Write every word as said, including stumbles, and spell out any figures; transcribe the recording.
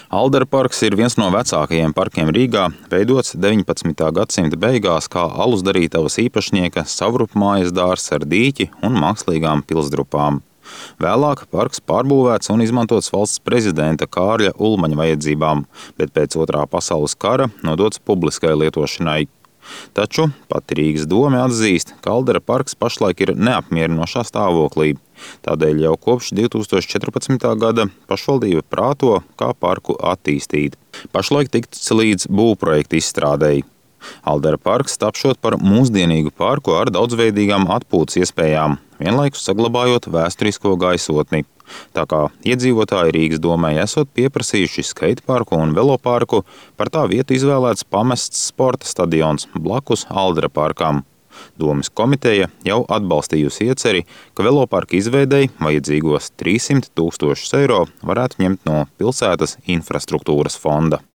Aldera parks ir viens no vecākajiem parkiem Rīgā, veidots deviņpadsmitā gadsimta beigās kā alusdarītavas īpašnieka savrupmājas dārzs ar dīķi un mākslīgām pilsdrupām. Vēlāk parks pārbūvēts un izmantots valsts prezidenta Kārļa Ulmaņa vajadzībām, bet pēc otrā pasaules kara nodots publiskai lietošanai. Taču pati Rīgas dome atzīst, ka Aldera parks pašlaik ir neapmierinošā stāvoklī. Tādēļ jau kopš divi tūkstoši četrpadsmitā gada pašvaldība prāto, kā parku attīstīt. Pašlaik tikts līdz būvprojekta izstrādei. Aldera parks tapšot par mūsdienīgu parku ar daudzveidīgām atpūtas iespējām, vienlaikus saglabājot vēsturisko gaisotni. Tā kā iedzīvotāji Rīgas domai esot pieprasījuši skateparku un veloparku, par tā vietu izvēlēts pamests sporta stadions blakus Aldera parkam. Domes komiteja jau atbalstījusi ieceri, ka veloparka izveidei vajadzīgos trīssimt tūkstošus eiro varētu ņemt no pilsētas infrastruktūras fonda.